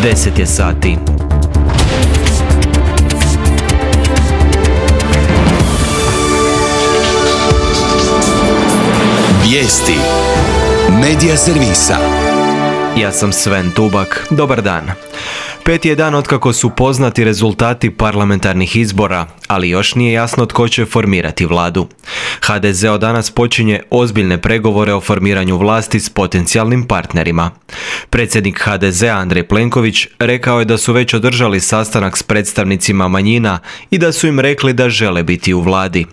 10 je sati. Vijesti Medija servisa. Ja sam Sven Tubak. Dobar dan. 5. je dan otkako su poznati rezultati parlamentarnih izbora, ali još nije jasno tko će formirati vladu. HDZ od danas počinje ozbiljne pregovore o formiranju vlasti s potencijalnim partnerima. Predsjednik HDZ-a Andrej Plenković rekao je da su već održali sastanak s predstavnicima manjina i da su im rekli da žele biti u vladi.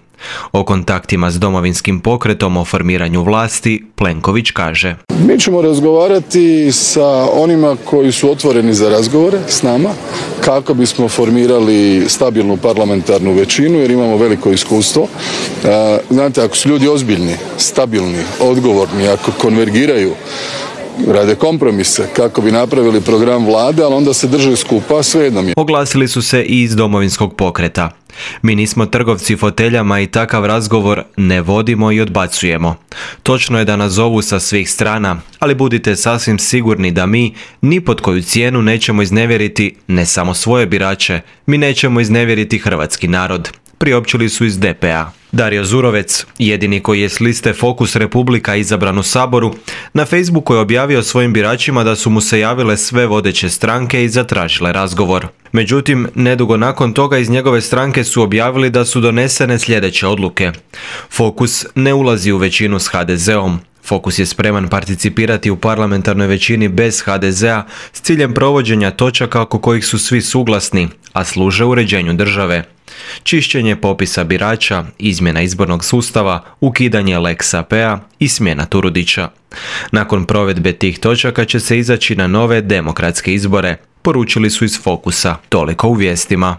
O kontaktima s Domovinskim pokretom o formiranju vlasti Plenković kaže: Mi ćemo razgovarati sa onima koji su otvoreni za razgovore s nama kako bismo formirali stabilnu parlamentarnu većinu jer imamo veliko iskustvo. Znate, ako su ljudi ozbiljni, stabilni, odgovorni, ako konvergiraju, rade kompromise kako bi napravili program vlade, ali onda se drže skupa, svejedno mi je. Oglasili su se i iz Domovinskog pokreta. Mi nismo trgovci foteljama i takav razgovor ne vodimo i odbacujemo. Točno je da nas zovu sa svih strana, ali budite sasvim sigurni da mi ni pod koju cijenu nećemo iznevjeriti ne samo svoje birače, mi nećemo iznevjeriti hrvatski narod, priopćili su iz DP-a. Dario Zurovec, jedini koji je s liste Fokus Republika izabran u Saboru, na Facebooku je objavio svojim biračima da su mu se javile sve vodeće stranke i zatražile razgovor. Međutim, nedugo nakon toga iz njegove stranke su objavili da su donesene sljedeće odluke. Fokus ne ulazi u većinu s HDZ-om. Fokus je spreman participirati u parlamentarnoj većini bez HDZ-a s ciljem provođenja točaka oko kojih su svi suglasni, a služe uređenju države. Čišćenje popisa birača, izmjena izbornog sustava, ukidanje Lex AP-a i smjena Turudića. Nakon provedbe tih točaka će se izaći na nove demokratske izbore, poručili su iz Fokusa. Toliko u vijestima.